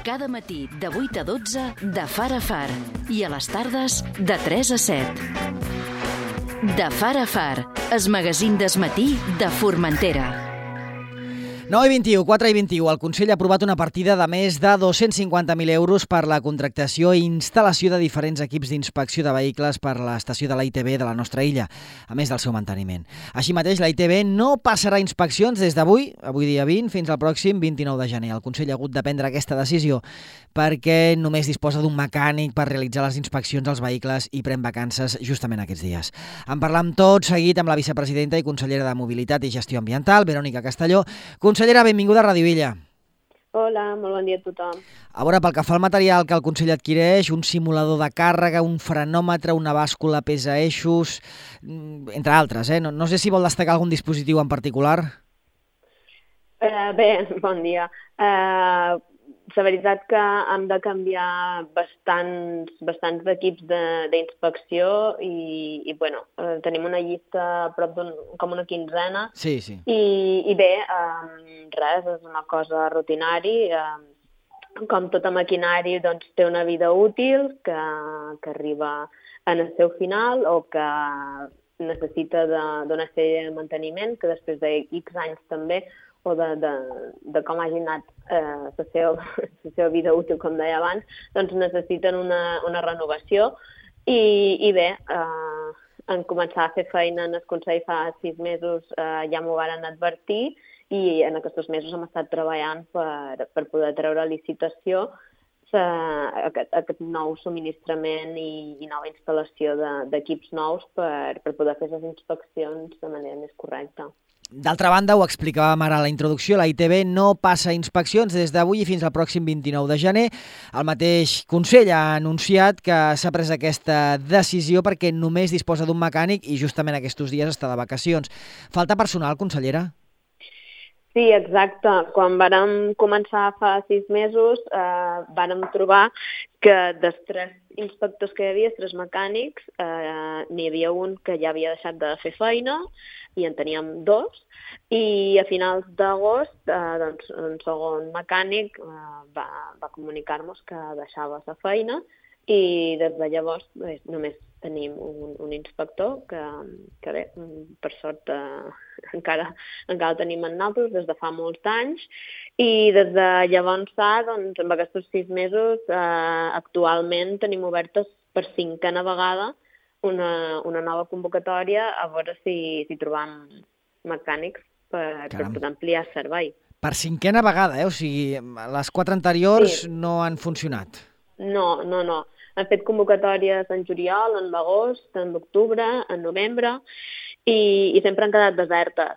Cada matí de 8 a 12 de Far a Far i a les tardes de 3 a 7. De Far a Far, el magazín del matí de Formentera. 9 i 21, 4 i 21. El Consell ha aprovat una partida de més de 250.000 euros per la contractació i instal·lació de diferents equips d'inspecció de vehicles per a l'estació de la ITV de la nostra illa, a més del seu manteniment. Així mateix, la ITV no passarà inspeccions des d'avui, avui dia 20, fins al pròxim 29 de gener. El Consell ha hagut de prendre aquesta decisió perquè només disposa d'un mecànic per realitzar les inspeccions als vehicles i pren vacances justament aquests dies. En parlam tot seguit amb la vicepresidenta i consellera de Mobilitat i Gestió Ambiental, Verònica Castelló. Consellera, benvinguda a Ràdio Illa. Hola, molt bon dia a tothom. A veure, pel que fa al material que el Consell adquireix, un simulador de càrrega, un frenòmetre, una bàscula pesa eixos, entre altres, No sé si vol destacar algun dispositiu en particular. Bé, bon dia. La veritat que hem de canviar bastants equips d'inspecció i bueno, tenim una llista a prop com una quinzena. Sí. I bé, res, és una cosa rutinari. Com tota maquinari, doncs, té una vida útil que arriba en el seu final o que necessita d'una sèrie de manteniment que després de X anys també o de com hagi anat la seva vida útil, com deia abans, doncs necessiten una renovació. I bé, en començar a fer feina en el Consell fa 6 mesos ja m'ho van advertir i en aquests mesos hem estat treballant per poder treure a licitació aquest nou subministrament i nova instal·lació d'equips nous per poder fer les inspeccions de manera més correcta. D'altra banda, ho explicàvem ara a la introducció, la ITV no passa inspeccions des d'avui fins al pròxim 29 de gener. El mateix Consell ha anunciat que s'ha pres aquesta decisió perquè només disposa d'un mecànic i justament aquests dies està de vacacions. Falta personal, consellera? Sí, exacte. Quan vàrem començar fa 6 mesos vàrem trobar que dels 3 inspectors que hi havia, 3 mecànics, n'hi havia un que ja havia deixat de fer feina i en teníem 2. I a finals d'agost, doncs, un segon mecànic va comunicar-nos que deixava la feina i des de llavors només tenim un inspector que bé, per sort encara el tenim en nosaltres des de fa molts anys i des de llavors doncs, en aquests 6 mesos actualment tenim obertes per 5a vegada una nova convocatòria a veure si trobam mecànics per poder ampliar el servei. Per 5a vegada, O sigui, les 4 anteriors no han funcionat. No. Han fet convocatòries en juliol, en l'agost, en l'octubre, en novembre i sempre han quedat desertes.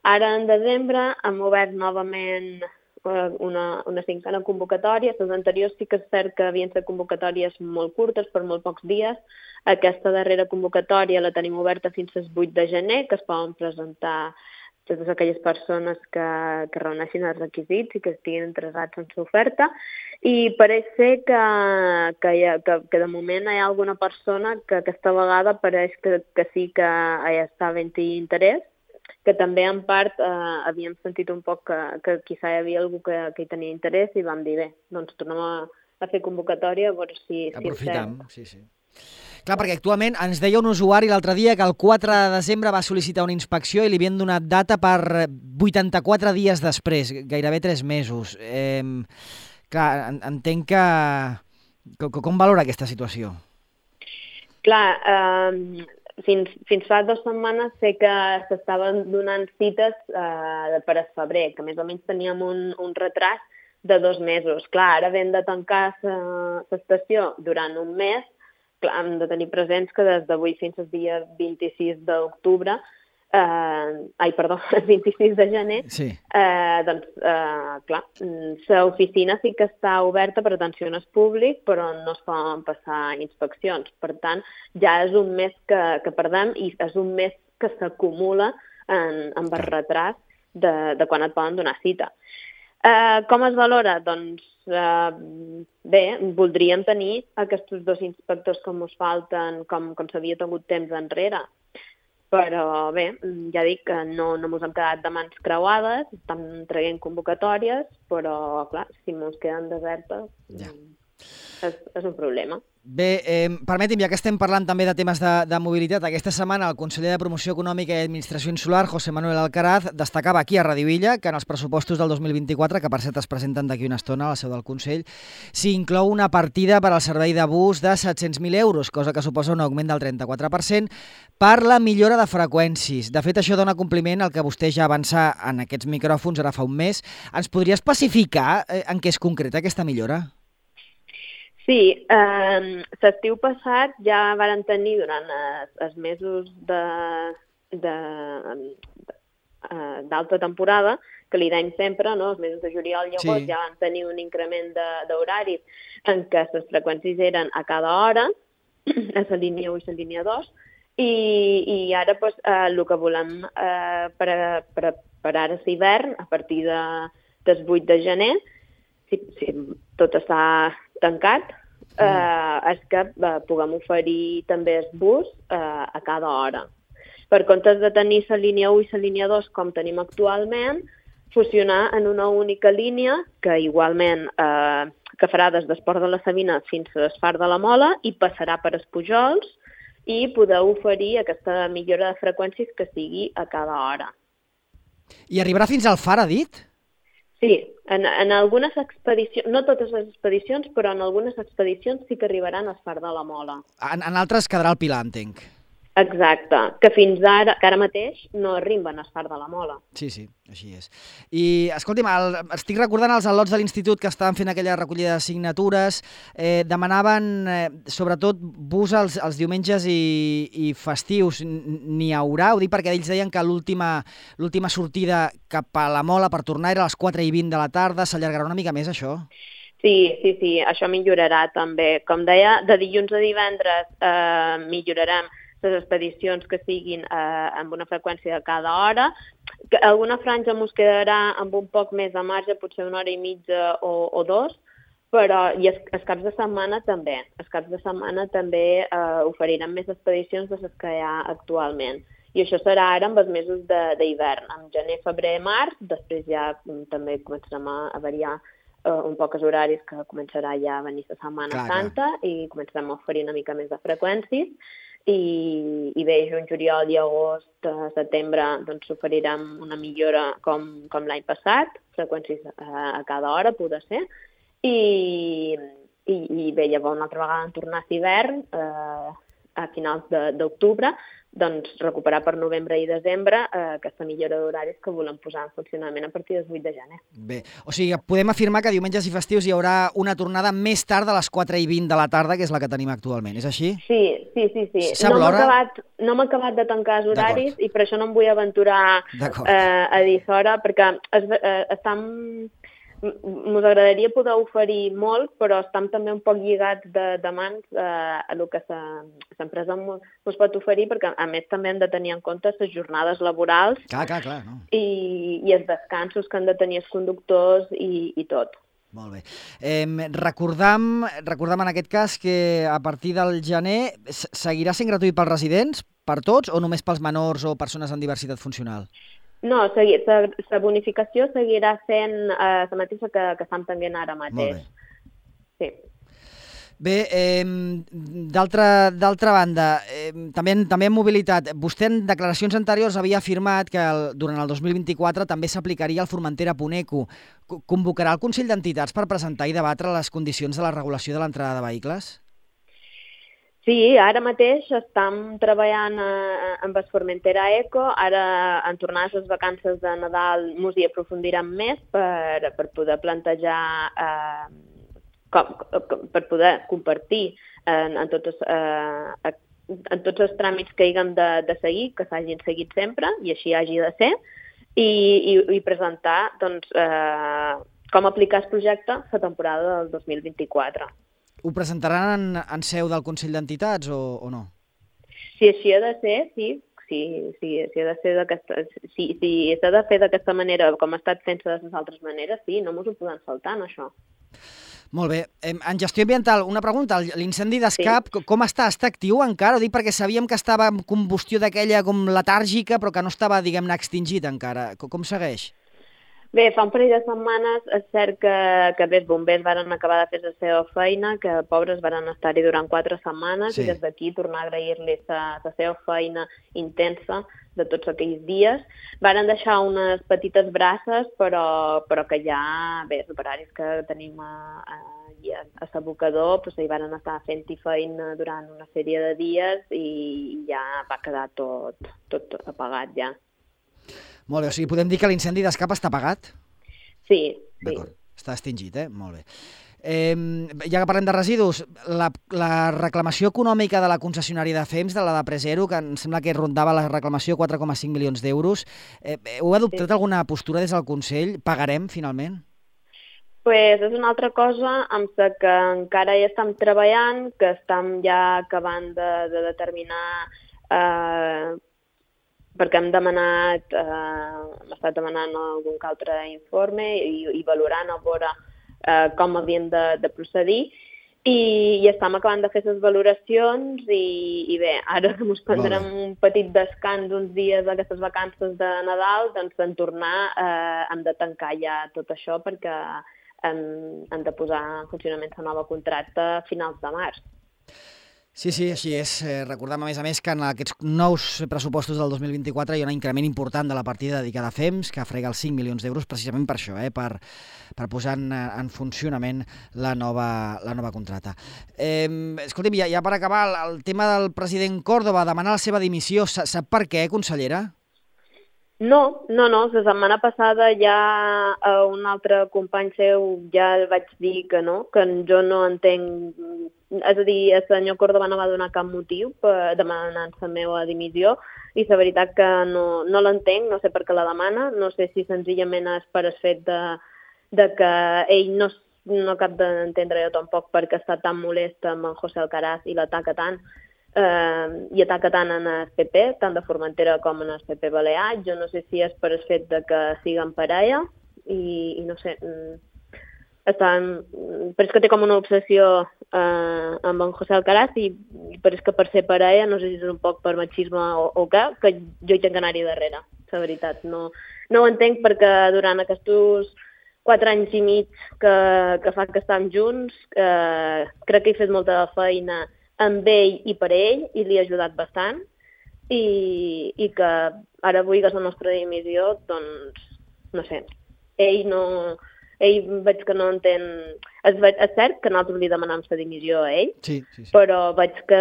Ara, en desembre, hem obert novament una 5a convocatòria. Les anteriors sí que és cert que havien estat convocatòries molt curtes, per molt pocs dies. Aquesta darrera convocatòria la tenim oberta fins al 8 de gener, que es poden presentar totes aquelles persones que reuneixin els requisits i que estiguin interessats en l'oferta. I pareix ser que de moment hi ha alguna persona que aquesta vegada pareix que sí que hi està havent-hi interès, que també en part havíem sentit un poc que quizà hi havia algú que hi tenia interès i vam dir, bé, doncs tornem a fer convocatòria a veure si aprofitem, sí. Clar, perquè actualment ens deia un usuari l'altre dia que el 4 de desembre va sol·licitar una inspecció i li havien donat data per 84 dies després, gairebé 3 mesos. Clar, entenc que... Com valora aquesta situació? Clar, fins fa 2 setmanes sé que s'estaven donant cites per a febrer, que més o menys teníem un retras de 2 mesos. Clar, ara hem de tancar l'estació durant un mes. Clar, hem de tenir presents que des d'avui fins al dia 26 d'octubre, el 26 de gener, sí. Doncs, clar, l'oficina sí que està oberta per atenció al públic, però no es poden passar inspeccions. Per tant, ja és un mes que perdem i és un mes que s'acumula amb el retras de quan et poden donar cita. Com es valora? Doncs bé, voldríem tenir aquests 2 inspectors com us falten, com s'havia tingut temps enrere, Però bé, ja dic que no mos hem quedat de mans creuades, estem traient convocatòries, però clar, si mos queden desertes és un problema. Bé, permeti'm, ja que estem parlant també de temes de mobilitat, aquesta setmana el conseller de Promoció Econòmica i Administració Insular, José Manuel Alcaraz, destacava aquí a Radio Illa que en els pressupostos del 2024, que per cert es presenten d'aquí una estona a la seu del Consell, s'hi inclou una partida per al servei de bus de 700.000 euros, cosa que suposa un augment del 34%, per la millora de freqüències. De fet, això dona compliment al que vostè ja avança en aquests micròfons ara fa un mes. Ens podria especificar en què es concreta aquesta millora? Sí, l'estiu passat ja varen tenir durant els mesos d'alta temporada, que li deim sempre, no? Els mesos de juliol i agost ja van tenir un increment d'horaris en què les freqüències eren a cada hora, a la línia 1 i la línia 2, i ara el que volem per ara l'hivern, a partir del 8 de gener, si tot està tancat, és que puguem oferir també el bus a cada hora. Per comptes de tenir la línia 1 i la línia 2 com tenim actualment, fusionar en una única línia que igualment que farà des d'Esport de la Sabina fins a l'Esfar de la Mola i passarà per els Pujols i poder oferir aquesta millora de freqüències que sigui a cada hora. I arribarà fins al Far, ha dit? Sí, en algunes expedicions, no totes les expedicions, però en algunes expedicions sí que arribaran al Far de la Mola. En altres quedarà al Pilar, entenc. Exacte, que fins ara, que ara mateix no arriben al Far de la Mola. Sí, així és. I, escolti'm, estic recordant els al·lots de l'institut que estaven fent aquella recollida de signatures, demanaven sobretot bus els diumenges i festius. N'hi haurà? Ho dic perquè ells deien que l'última sortida cap a la Mola per tornar era a les 4:20 de la tarda. S'allargarà una mica més, això? Sí, això millorarà també. Com deia, de dilluns a divendres millorarem les expedicions que siguin amb una freqüència de cada hora. Alguna franja ens quedarà amb un poc més de marge, potser 1 hora i mitja o 2, però i els caps de setmana també. Els caps de setmana també oferirem més expedicions de les que hi ha actualment. I això serà ara amb els mesos d'hivern, en gener, febrer, març, després ja també començarem a variar un poc els horaris, que començarà ja a venir la Setmana Santa i començarem a oferir una mica més de freqüències. I bé, juny, juliol i agost, setembre, doncs oferirem una millora com l'any passat, freqüències a cada hora, poder ser, i bé, llavors una altra vegada en tornar a l'hivern, a finals d'octubre, doncs recuperar per novembre i desembre aquesta millora d'horaris que volem posar en funcionament a partir del 8 de gener. Bé, o sigui, podem afirmar que diumenges i festius hi haurà una tornada més tard de les 4:20 de la tarda, que és la que tenim actualment, és així? Sí. Sap l'hora? No m'he acabat de tancar els horaris i per això no em vull aventurar a dir l'hora, perquè ens agradaria poder oferir molt, però estem també un poc lligats de mans a el que l'empresa ens pot oferir, perquè a més també hem de tenir en compte les jornades laborals clar, no? i els descansos que han de tenir els conductors i tot. Molt bé. Recordam en aquest cas que a partir del gener seguirà sent gratuït pels residents, per tots, o només pels menors o persones amb diversitat funcional? No, la bonificació seguirà sent la mateixa que estem tenint ara mateix. Molt bé. Sí. Bé, d'altra banda, també en mobilitat, vostè en declaracions anteriors havia afirmat que durant el 2024 també s'aplicaria el Formentera Puneco. Convocarà el Consell d'Entitats per presentar i debatre les condicions de la regulació de l'entrada de vehicles? Sí, ara mateix estem treballant amb el Formentera Eco. Ara, en tornar a les vacances de Nadal, ens hi aprofundirem més per poder plantejar, per poder compartir en tots els tràmits que hàgim de seguir, que s'hagin seguit sempre, i així hagi de ser, i presentar com aplicar el projecte la temporada del 2024. Ho presentaran en seu del Consell d'Entitats o no? Si així ha de ser, sí. Si s'ha de fer d'aquesta manera, com ha estat fent de les altres maneres, sí, no ens ho podem saltar, en això. Molt bé. En gestió ambiental, una pregunta. L'incendi d'Escap, com està? Està actiu encara? Ho dic perquè sabíem que estava en combustió d'aquella com letàrgica, però que no estava, diguem-ne, extingit encara. Com segueix? Bé, fa un parell de setmanes és cert que bé, els bombers varen acabar de fer la seva feina, que pobres varen estar-hi durant 4 setmanes, i des d'aquí tornar a agrair-los la seva feina intensa de tots aquells dies. Varen deixar unes petites braces, però que ja, bé, els operaris que tenim a l'abocador, doncs hi varen estar fent-hi feina durant una sèrie de dies i ja va quedar tot apagat ja. Molt bé, o sigui, podem dir que l'incendi d'Escap està apagat? Sí. D'acord, està extingit, Molt bé. Ja que parlem de residus, la reclamació econòmica de la concessionària de FEMS, de la de Presero, que em sembla que rondava la reclamació 4,5 milions d'euros, heu adoptat alguna postura des del Consell? Pagarem, finalment? Pues és una altra cosa amb la que encara hi estem treballant, que estem ja acabant de determinar perquè hem estat demanant algun altre informe i valorant a veure com havien de procedir i estem acabant de fer les valoracions i bé, ara que ens prendrem un petit descans uns dies d'aquestes vacances de Nadal, doncs en tornar hem de tancar ja tot això perquè hem de posar en funcionament la nova contracta a finals de març. Sí, així és. Recordem, a més, que en aquests nous pressupostos del 2024 hi ha un increment important de la partida dedicada a FEMS, que frega els 5 milions d'euros precisament per això, per posar en funcionament la nova contracta. Escolti'm, ja per acabar, el tema del president Córdoba, demanar la seva dimissió, sap per què, consellera? No, la setmana passada ja a un altre company seu ja vaig dir que no, que jo no entenc, és a dir, el senyor Córdoba no va donar cap motiu per demanar la meva dimissió i la veritat que no l'entenc, no sé per què la demana, no sé si senzillament és per el fet de que ell no acaba d'entendre jo tampoc perquè està tan molest amb en José Alcaraz i l'ataca tant, i ataca tant en el PP, tant de Formentera com en el PP Balear. Jo no sé si és per el fet de que siguen parella i no sé, però és que té com una obsessió amb en José Alcaraz i però és que per ser parella, no sé si és un poc per machisme o què, que jo hi tinc que anar-hi darrere, la veritat. No ho entenc perquè durant aquests 4 anys i mig que fa que estem junts, crec que he fet molta feina amb ell i per ell, i li ha ajudat bastant, i que ara vull que la nostra dimissió, doncs, no sé, ell veig que no entén... És cert que nosaltres li demanam la dimissió a ell, sí. Però veig que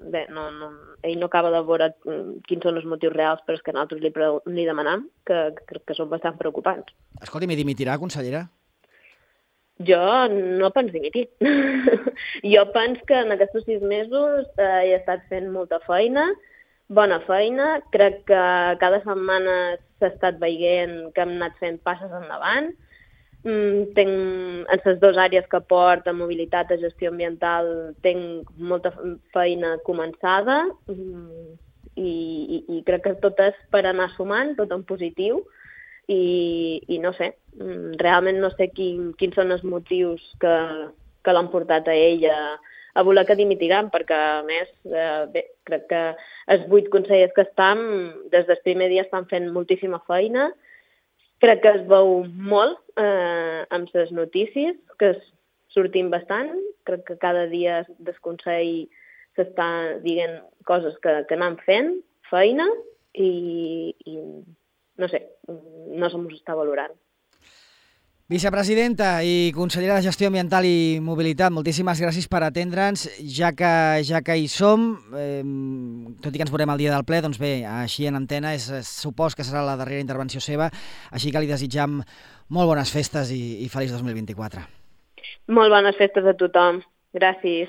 bé, ell no acaba de veure quins són els motius reals per als que nosaltres li demanam, que són bastant preocupants. Escolti, mi dimitirà, consellera? Jo no penso dimitir. Jo penso que en aquests 6 mesos he estat fent molta feina, bona feina. Crec que cada setmana s'ha estat veient que hem anat fent passes endavant. En les 2 àrees que porta, mobilitat i gestió ambiental, tinc molta feina començada i crec que tot és per anar sumant, tot en positiu. I no sé, realment no sé quins són els motius que l'han portat a ell a voler que dimitiran, perquè a més, bé, crec que els 8 consellers que estan, des del primer dia estan fent moltíssima feina, crec que es veu molt amb les notícies, que sortim bastant, crec que cada dia del Consell s'està dient coses que anem fent, feina, i no sé, no se mos està valorant. Vicepresidenta i consellera de Gestió Ambiental i Mobilitat, moltíssimes gràcies per atendre'ns. Ja que hi som, tot i que ens veurem el dia del ple, doncs bé, així en antena, supos que serà la darrera intervenció seva, així que li desitjam molt bones festes i feliç 2024. Molt bones festes a tothom. Gràcies.